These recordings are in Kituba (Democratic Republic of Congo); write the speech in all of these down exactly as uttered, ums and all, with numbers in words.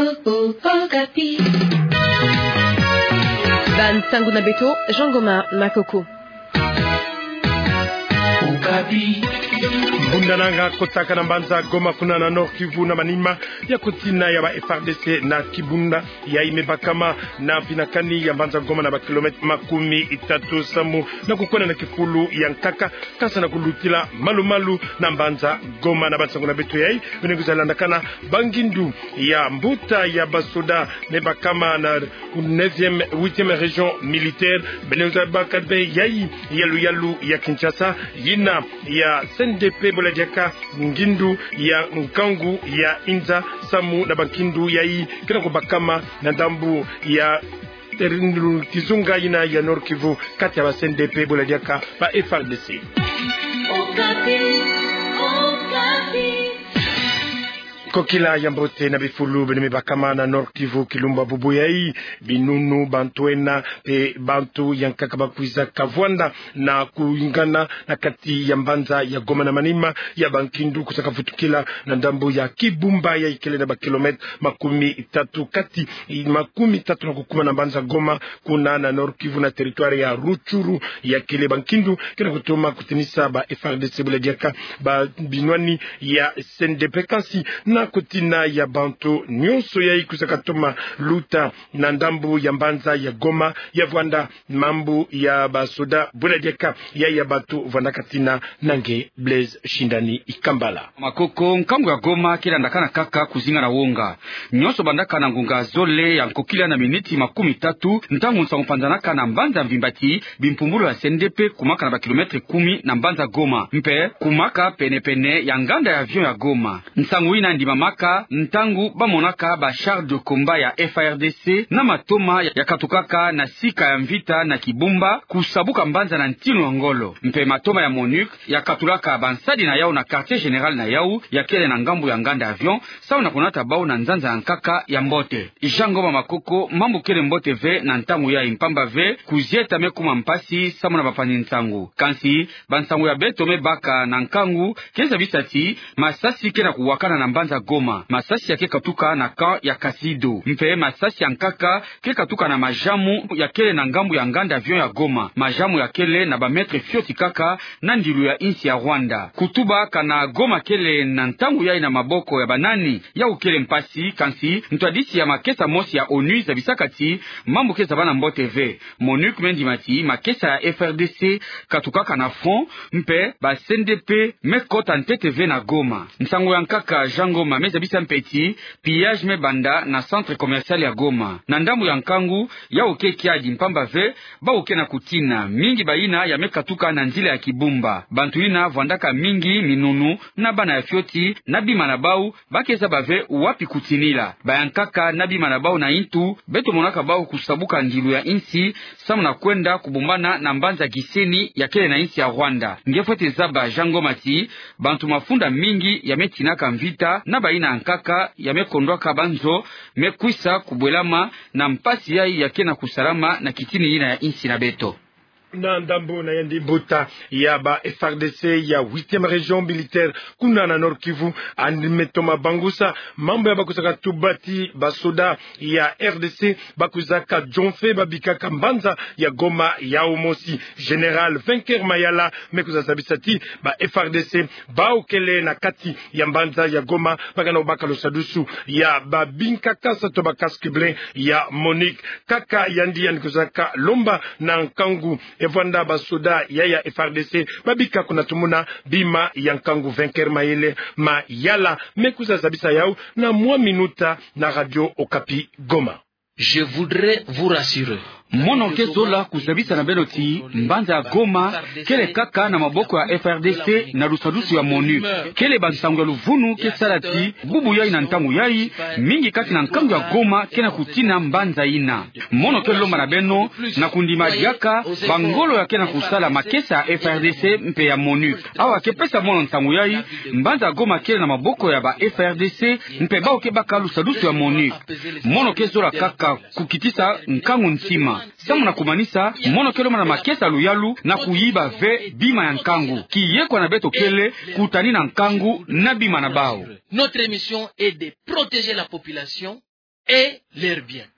Okapi. Bansangu na beto, Jean Goma Makoko. Okapi. Mbundananga kotaka na mbanza Goma kuna na Nord-Kivu na manima ya kotina ya ba F A R D C na kibunda yayi me bakama na mpinakani ya mbanza Goma na ba kilomètre makumi tatu samu na kukwenda na kifulu ya nkaka, kansi na kulutila malu-malu na mbanza Goma. Na bansangu na beto yayi, beno kwiza landakana bangindu ya mbuta ya basoda me bakama na neuvième, huitième région militaire, beno kwiza baka be yayi ya luyalu ya Kinshasa, yina ya C N D P bo la diaka ngindu ya nkangu ya inza, samu na bangindu yayi ke na kubakama na ndambu ya terindu kizunga yina ya Nord-Kivu, kati ya ba C N D P bo la diaka ba F A R D C. Okapi, Okapi. Kokila ya mbote na bifulu beno me bakama na Nord-Kivu, kilumbu bubu yayi, binunu, bantu ena mpe bantu ya nkaka bakwiza kavwanda na kuyingana na kati ya mbanza ya Goma na manima ya bangindu kwiza kavutukila na ndambu ya Kibumba yayi kele na ba kilomètre makumi tatu kati, makumi tatu na kukuma na mbanza Goma, kuna na Nord-Kivu na territoire ya Rutshuru. Ya kele bangindu ke na kutoma kutinisa ba F A R D C bo la diaka ba binwani ya C N D P, kansi na kotina ya bantu nyonso yayi kwiza katoma luta na ndambu ya mbanza ya Goma ya vwanda mambu ya basoda bo la diaka ya, ya bantu vwandaka tina. Na nge Blaise Shindani Ikambala. Makoko, nkangu ya Goma ke landakana kaka kuzinga na wonga. Nyonso bandaka na ngonga zole ya nkokila na miniti makumi tatu, ntangu nsangu panzanaka na mbanza mvimba ti bimpumbulu ya C N D P kumaka na ba kilomètre kumi na mbanza Goma, mpe kumaka pene-pene ya nganda ya avion ya Goma. Nsangu yina ndimamaka ntangu bamonaka ba chars de combat ya F A R D C na matoma ya katukaka na sika ya mvita na Kibumba, kusabuka mbanza na ntinu ya ngolo. Mpe matoma ya MONUC ya katulaka bansadi na yau na quartier général na yau ya kele na ngambu ya nganda avion, samu na kunata bau na nzanza ya nkaka ya mbote. Jean Goma Makoko, mambu kele mbote ve na ntangu yayi, mpamba ve kuzieta me kuma mpasi samu na bapanzi nsangu. Kansi bansangu ya beto me baka na nkangu ke zabisa ti masasi ke na kuwakana na mbanza Goma. Masasi ya ke katuka na camp ya Kasido. Mpe masasi ya nkaka ke katuka na majamu ya kele na ngambu ya nganda avion ya Goma. Majamu ya kele na ba mètres fioti kaka na ndilu ya insi ya Rwanda. Kutuba kana Goma kele na ntangu yayi na maboko ya banani, yau kele mpasi, kansi ntwadisi ya makesa mosi ya ONU zabisaka ti mambu ke zabana mbote ve. MONUC me ndima ti makesa ya F A R D C katukaka na front, mpe ba C N D P me kota ntete ve na Goma. Nsangu ya nkaka, Jean Goma, me zabisa mpe ti pillage me banda na centre commercial ya Goma. Na ndambu ya nkangu, yau ke kiadi, mpamba ve bau ke na kutina, mingi bayina ya me katuka na nzila ya Kibumba. Bantu yina vwandaka mingi minunu na bana ya fioti na bima na bau, ba ke zaba ve wapi kutinila. Ba ya nkaka na bima na bau na intu, beto monaka bau kusabuka ndilu ya insi, samu na kwenda kubombana na mbanza Gisenyi ya kele na insi ya Rwanda. Nge fwete zaba, Jean Goma, ti bantu mafunda mingi ya me tinaka mvita na bayina ya nkaka ya me kondwaka banzo, me kwisa kubwelama na mpasi yayi ya ke na kusalama na kitini yina ya insi na beto. Na ndambu na yandi, mbuta ya ba F A R D C ya huitième région militaire kuna na Nord-Kivu, yandi me toma bangusa mambu ya bakwizaka tuba ti basoda ya R D C bakwizaka jomfe babikaka mbanza ya Goma yau mosi. Général Vainqueur Mayala me kwiza zabisa ti ba F A R D C bau kele na kati ya mbanza ya Goma, ba ke na kubaka lusadusu ya babinkakasa to ba casques bleus ya MONUC. Kaka yandi, yandi kwizaka lomba na nkangu ya vwanda basoda ya, ya F A R D C babika kuna tumuna bima ya nkangu. Vainqueur Mayele Mayala me kwiza zabisa yau na mwa minuta na Radio Okapi Goma. Je voudrais vous rassurer. Mono ke zola kuzabisa na beno ti mbanza ya Goma kele kaka na maboko ya F A R D C na lusadusu ya MONUC. Kele bansangu ya luvunu ke sala ti bubu yayi na ntangu yayi, mingi kati na nkangu ya Goma ke na kutina mbanza yina. Mono ke lomba na beno na kundima diaka bangolo ya ke na kusala makesa ya F A R D C mpe ya MONUC. Awa ke pesa mono nsangu yayi, mbanza ya Goma kele na maboko ya ba F A R D C mpe bau ke baka lusadusu ya MONUC. Mono ke zola kaka kukitisa nkangu ntima. Samu na kumanisa, mono ke lomba na makesa luyalu na kuyiba ve bima ya nkangu. Kiyekwa na beto kele kutanina nkangu na bima na bau. Notre mission est de protéger la population. et leurs biens.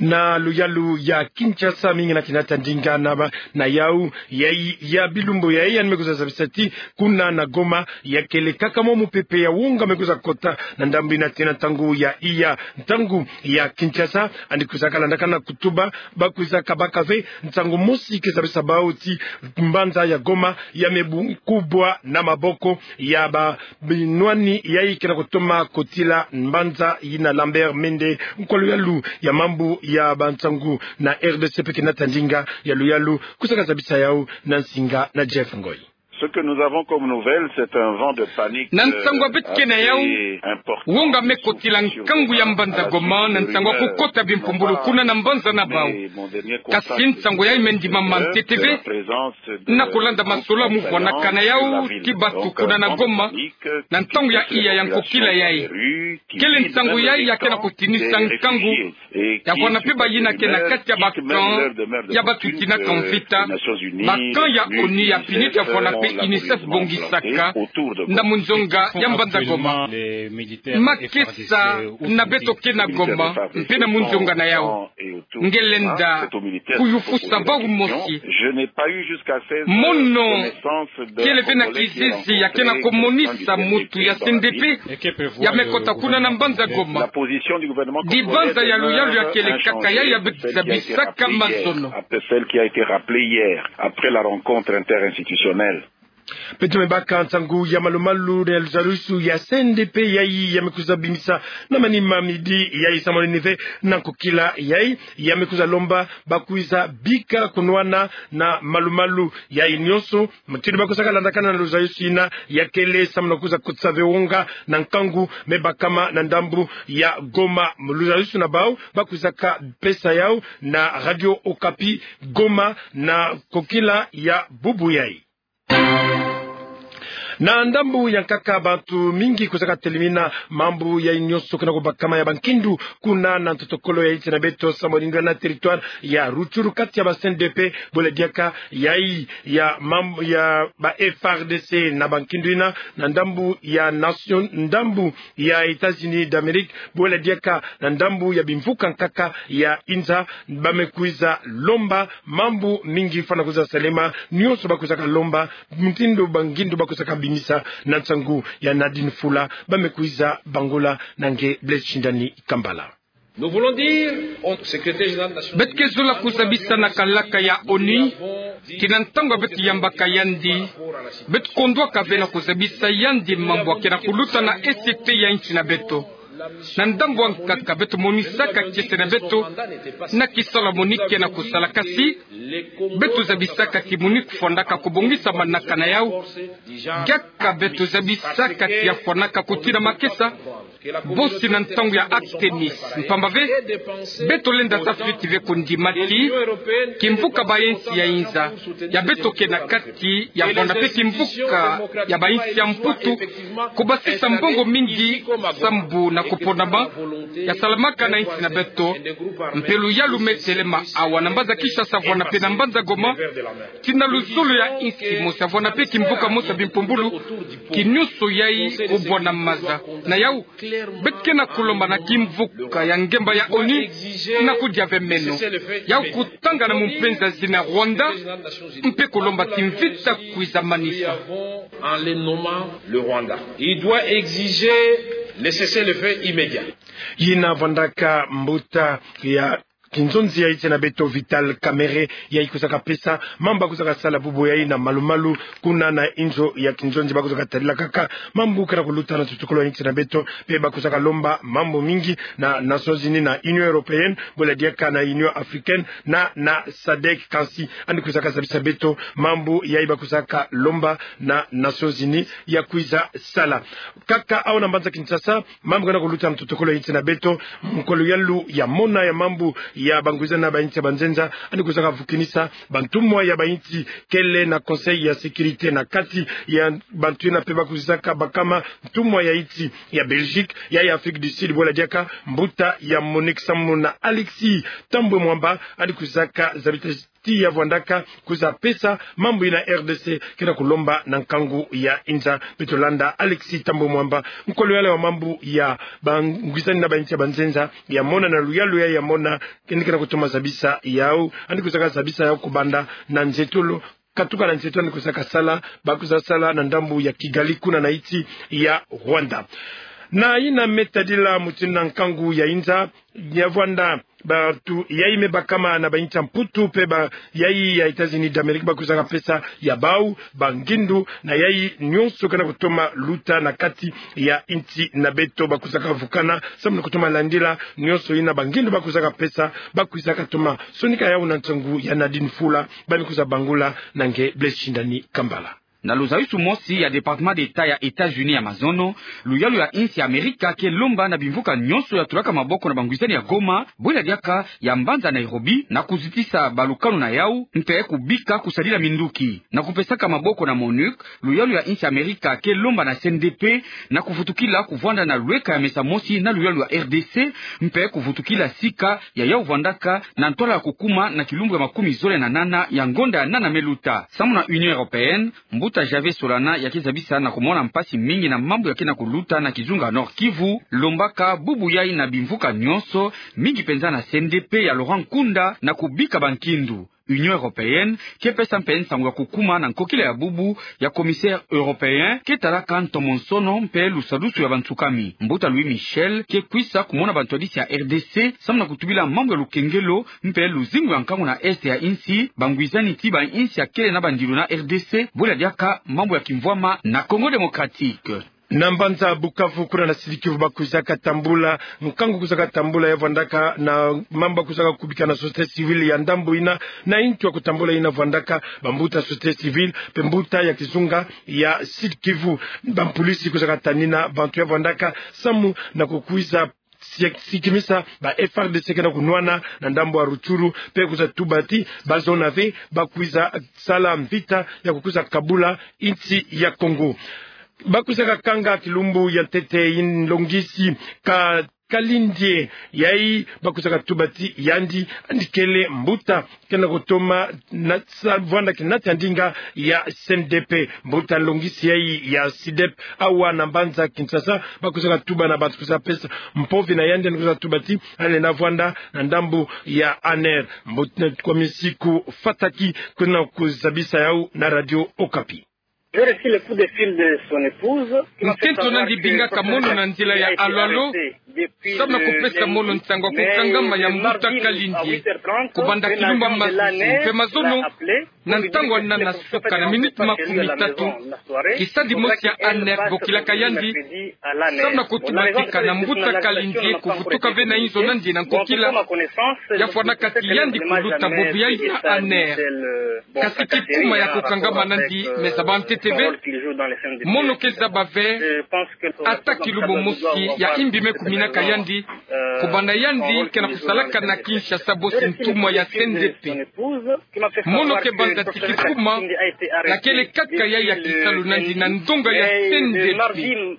Na luyalu ya Kinshasa, mingi na kina tandinga na ba, na yau, ya, ya bilumbu ya, yandi me kwiza zabisa ti, kuna na Goma, ya kele kaka mwa mupepe ya wonga me kwiza kota, na ndambu ina ti na ntangu ya iya, ntangu ya Kinshasa, yandi kwizaka landakana kutuba, ba kwizaka baka ve, nsangu mosi ke zabisa bau ti, mbanza ya Goma, ya me bu-, kubwa na maboko, ya ba, binwani yayi ke na kutoma kotila mbanza yina Lambert Mende, nkwa luyalu ya mambu ya bansangu na R D C pe kina tandinga ya luyalu, kwizaka zabisa yau na nsinga na Jeff Ngoy. Ce que nous avons comme nouvelle, c'est un vent de panique, na nsangu ya beto ke na yau, euh, assez important, wonga me kotila nkangu ya mbanza Goma, na nsangu ya kukota bimpumbulu kuna na mbanza na bau. Kasi nsangu yayi me ndimama ntete ve, na kulanda masolo ya muvwanakana yau ti batu kuna na Goma, na ntangu ya iya ya nkokila yayi. Kele nsangu yayi ya ke na kutinisa nkangu, ya vwana pe bayina ke na kati ya ba camp ya batu tinaka mvita, ba camp ya ONU ya pini ti ya vwana pe UNICEF bongisaka, na munzonga ya mbanza Goma. Makesa na beto ke na Goma, mpe na munzonga na yau. Nge lenda kuyufusa bau mosi. Mono kele ve na kizizi ya ke na kumonisa mutu ya C N D P ya me kota kuna na mbanza Goma. Dibanza ya luyalu ya kele kaka yayi ya beto zabisaka mazono. Celle qui a été rappelée hier, après la rencontre interinstitutionnelle. Beto me baka nsangu ya malumalu na luzadusu ya C N D P yayi ya me kwiza bimisa na manima midi yayi samani ni ve na nkokila yayi ya me kwiza lomba ba kwiza bika kunwana na malumalu yayi nyonso. Mutindu ba kwizaka landakana na luzadusu yina ya kele samani na kwiza kotisa ve wonga na nkangu me bakama na ndambu ya Goma. Luzadusu na bau ba kwizaka pesa yau na Radio Okapi Goma na nkokila ya bubu yayi. Na ndambu ya nkaka, bantu mingi kwizaka telimina mambu yayi nyonso ke na kubakama ya bankindu kuna na ntotokolo ya insi na beto, sambu ningana territoire ya Rutshuru, kati ya ba C N D P, bwela diaka yayi ya mam-, ya ba F A R D C na bankindu yina, na ndambu ya nation, ndambu ya États-Unis d'Amérique, bwela diaka na ndambu ya bimvuka nkaka ya inza, ba me kwiza lomba mambu mingi fwana kwiza salema, nyonso ba kwizaka lomba, mutindu bangindu ba kwizaka bimisa na nsangu ya Nadine Fula, ba me kwiza bangula na nge Blaise Shindani Kambala. Nous voulons dire au secrétaire général des Nations Unies, beto ke zola kuzabisa na kalaka ya ONU ti na ntangu ya beto yambaka yandi, beto kondwaka ve na kuzabisa yandi mambu ya ke na kuluta na E C T ya insi na beto. Na ndambu ya nkaka, beto monisaka kiese na beto na kisalu ya MONUC ke na kusala, kasi beto zabisaka ti MONUC fwandaka kubongisa manaka na yau. Diaka beto zabisaka ti ya fwanaka kotila makesa bosi na ntangu ya Artemis. Mpamba ve, beto lenda sa fweti ve kundima ti kimvuka bainsi ya inza ya beto ke na kati ya vwanda pe kimvuka ya bainsi ya Mputu, kubasisa mbongo mingi sambu na kuponama ya salamaka na insi na beto. Mpe luyalu me telema awa na mbanza Kinshasa vwanda pe na mbanza Goma, ti na luzolo ya insi mosi ya vwanda pe kimvuka mosi ya bimpumbulu, kinyonso yayi kubwa na maza. Na yau, beto ke na kulomba na kimvuka ya ngemba ya ONU na kudia ve meno. Yau kutangana mu mpenza zina Rwanda, mpe kulomba ti mvita kwiza manisa. En le nommant le Rwanda, il doit exiger le cessez-le-feu immédiat. Yina vwandaka mbuta ya kinzonzi ya insi na beto Vital Kamerhe, yayi kwizaka pesa mambu ba kwizaka sala bubu yayi na malumalu kuna na inzo ya kinzonzi, ba kwizaka tadila kaka mambu ke na kuluta na ntotokolo ya insi na beto, mpe ba kwizaka lomba mambu mingi na Nations Unies, na Union Européenne, bwela diaka na Union Africaine, na, na SADC, kansi yandi kwizaka zabisa beto mambu yayi ba kwizaka lomba na Nations Unies ya kwiza sala. Kaka awa na mbanza Kinshasa, mambu ke na kuluta na ntotokolo ya insi na beto, nkwa luyalu ya mona ya mambu ya bangwizana ya bainsi ya banzenza, yandi kwizaka vukinisa bantumwa ya bainsi kele na Conseil ya Sécurité, na kati ya bantu yina mpe ba kwizaka bakama ntumwa ya insi ya Belgique, ya, ya Afrique du Sud, bwela diaka mbuta ya MONUC sambu na Alexis Thambwe Mwamba, yandi kwizaka zabisa ti ya vwandaka kwiza pesa mambu yina R D C ke na kulomba na nkangu ya inza. Beto landa Alexis Thambwe Mwamba, nkolo yale wa mambu ya bangwisani na bainsi ya banzenza, ya mona na luyalu ya, ya mona keni ke na kutoma zabisa yau, yandi kwizaka zabisa yau kubanda na nzietolo, katuka na nzietolo yandi kwizaka sala, ba kwiza sala na ndambu ya Kigali kuna na insi ya Rwanda. Na yina me tadila mutindu na nkangu ya inza, ya vwanda bantu yayi me bakama na bainsi ya Mputu, pe bayayi ya États-Unis d'Amérique, ba kwizaka pesa ya bau bangindu na yayi nyonso ke na kutoma luta na kati ya insi na beto, ba kwizaka vukana samu na kutoma landila nyonso yina bangindu ba kwizaka pesa, ba kwizaka toma sonika yau na nsangu ya Nadine Fula, ba me kwiza bangula na nge Blaise Shindani Kambala. Na luzayisu mosi ya Département d'État ya États-Unis ya mazono, luyalu ya insi ya Amerika ke lomba na bimvuka nyonso ya tulaka maboko na bangwisani ya Goma, bwela diaka ya mbanza Nairobi, na kuzitisa balukanu na yau, mpe kubika kusadila minduki. Na kupesaka maboko na MONUC, luyalu ya insi ya Amerika ke lomba na C N D P na kuvutukila kuvwanda na lweka ya mesa mosi na luyalu ya R D C, mpe kuvutukila sika ya yau vwandaka na ntwala ya kukuma na kilumbu ya makumi zole na nana ya ngonda ya nana me luta. Samu na Union Européenne, mbuta Javier Solana ya ke zabisa na kumona mpasi mingi na mambu ya ke na kuluta na kizunga Nord-Kivu, lombaka bubu yayi na bimvuka nyonso, mingi penza na C N D P ya Laurent Nkunda, na kubika bankindu. Union Européenne ke pesa mpe nsangu ya kukuma na nkokila ya bubu ya commissaire européen ke talaka ntomonsono mpe lusadusu ya bansukami. Mbuta Louis Michel ke kwisa kumona bantwadisi ya R D C samu na kutubila mambu ya lukengelo mpe luzingu ya nkangu na Est ya insi, bangwisani ti bainsi ya kele na bandilu na R D C, bwela diaka mambu ya kimvwama na Congo Démocratique. Na mbanza Bukavu, kuna na Sud-Kivu, ba kwizaka tambula nkangu kwizaka tambula ya vwandaka na mambu ba kwizaka kubika na société civile ya ndambu yina, na intu ya kutambula yina vwandaka bambuta société civile mpe mbuta ya kizunga ya Sud-Kivu. Bampulisi kwizaka tanina bantu ya vwandaka samu na kukwiza si-, sikimisa ba F A R D C ke na kunwana na ndambu ya Rutshuru, mpe kwiza tuba ti ba zona ve ba kwiza sala mvita ya kukwiza kabula insi ya Congo. Ba kwizaka kanga kilumbu ya ntete yi nlongisi Ka-, Kalindie, yayi ba kwizaka tuba ti yandi, yandi kele mbuta ke na kutoma na sa-, vwanda kinati ya ndinga ya C N D P. Mbuta nlongisi yayi ya SYDEP awa na mbanza Kinshasa, ba kwizaka tuba na bantu kwiza pesa mpovi na yandi, yandi kwiza tuba ti yandi lenda vwanda na ndambu ya ANR. Mbuta Kwame Siku Fataki ke na kuzabisa yau na Radio Okapi. J'ai reçu le coup de fil de son épouse. Nkento nandi bingaka mono na nzila ya alo-alo, samu na kupesa mono nsangu ya kukangama ya mbuta Kalindie, kubanda kilumbu ya masusu mpe mazono, na ntangu ya nana suka na miniti makumi tatu, kisadi mosi ya ANR bokilaka yandi, samu na kutuba ti kana mbuta Kalindie kuvutuka ve na inzo nandi na nkokila, ya fwanaka ti yandi kuluta bobo yayi na ANR. Kasi kikuma ya kukangama nandi me zaba ntete ve. Mono ke zaba ve ata kilumbu mosi ya imbi me kuminaka yandi, kubanda yandi ke na kusalaka na Kinshasa bosi ntumwa ya C N D P. Mono ke banza ti kikuma, na kele kaka yayi ya kisalu nandi na ndonga ya C N D P.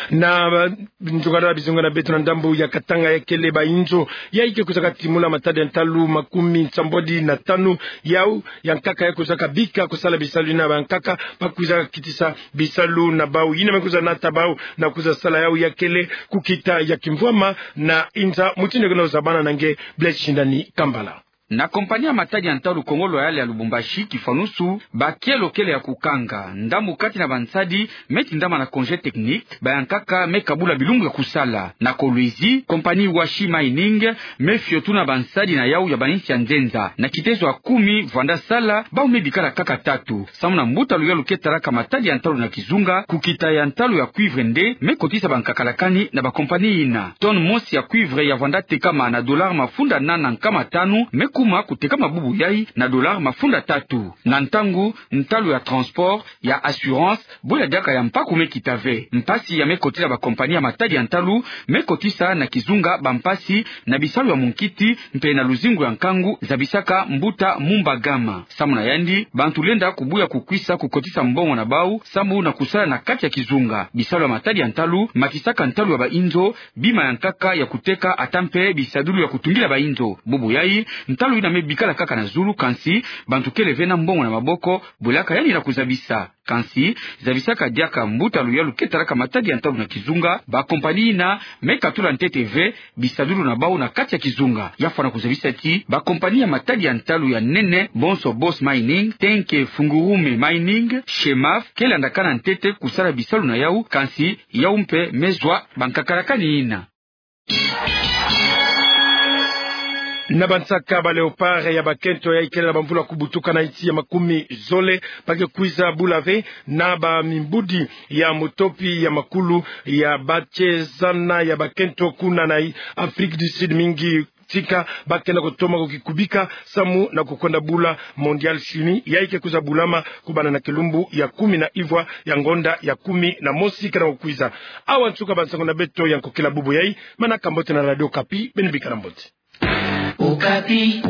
Na, ba, nzokala bizonga na beto na ndambu ya Katanga ya kele ba inzo yayi ke kwizaka timula matadi ya ntalu makumi nsambwadi na tanu yau ya nkaka ya kwizaka bika kusala bisalu yina ba nkaka ba kwizaka kitisa bisalu na bau. Yina me kwiza nata bau na kwiza sala yau ya kele kukita ya kimvwama na inza mutindu ke na ozabana na nge Blaise Shindani Kambala. Na kompani ya matadi ya ntalu Congo Loyal ya Lubumbashi, kifanusu, ba kielo kele ya kukanga. Ndambu kati na bansadi me tindama na congé technique, ba ya nkaka me kabula bilumbu ya kusala. Na Kolwezi, kompani Washi Mining me fiotuna bansadi na yau ya bainsi ya nzenza. Na kitezo ya kumi vwanda sala, bau me bikala kaka tatu. Samu na mbuta luyalu ke talaka matadi ya ntalu na kizunga, kukita ya ntalu ya cuivre nde me kotisa bankakalakani na bakompani yina. Tonne mosi ya cuivre ya vwanda tekama na dollar mafunda nana nkama tanu me kuma kutekama bubu yai na dollars mafunda tatu. Na ntangu, ntalu ya transport, ya assurance, bwe ya diaka ya mpaku me kita ve. Mpasi ya me kotila ba compagnie ya matadi ya ntalu me kotisa na kizunga bampasi na bisalu ya munkiti mpe na luzingu ya nkangu, zabisaka mbuta Mumba Gama. Samu na yandi, bantu lenda kubuya kukwisa kukotisa mbongo na bau, samu na kusala na kati ya kizunga. Bisalu ya matadi ya ntalu makisaka ntalu ya bainzo, bima ya nkaka ya kuteka ata mpe bisadulu ya kutungila bainzo. Bubu yai, ntalu yina me bikala kaka na zulu, kansi bantu kele ve na mbongo na maboko bwelaka yandi na kuzabisa. Kansi, zabisaka diaka mbuta luyalu ke talaka matadi ya ntalu na kizunga, ba compagnie yina me katula ntete ve bisadulu na bau na kati ya kizunga. Ya fwana kuzabisa ti ba compagnie ya matadi ya ntalu ya nene, bonso Boss Mining, Tenke Fungurume Mining, Shemaf, ke landakana ntete kusala bisalu na yau, kansi yau mpe me zwa ba nkakalakani yina. Na bansaka ba Léopards ya bakento yai kele na bamvula kubutuka na insi ya makumi zole, ba ke kwiza bula ve na bamimbudi ya mutopi ya makulu ya bachezana ya bakento kuna na Afrique du Sud mingi tika ba ke na kutoma kukikubika samu na kukwenda bula Mondial Chimie yai ke kwiza bulama kubanda na kilumbu ya kumi na ivwa ya ngonda ya kumi na mosi ke na kukwiza. Awa nsuka bansango na beto ya nkokila bubu yai, manaka mbote na Radio Okapi, beno bikana mbote. Okapi.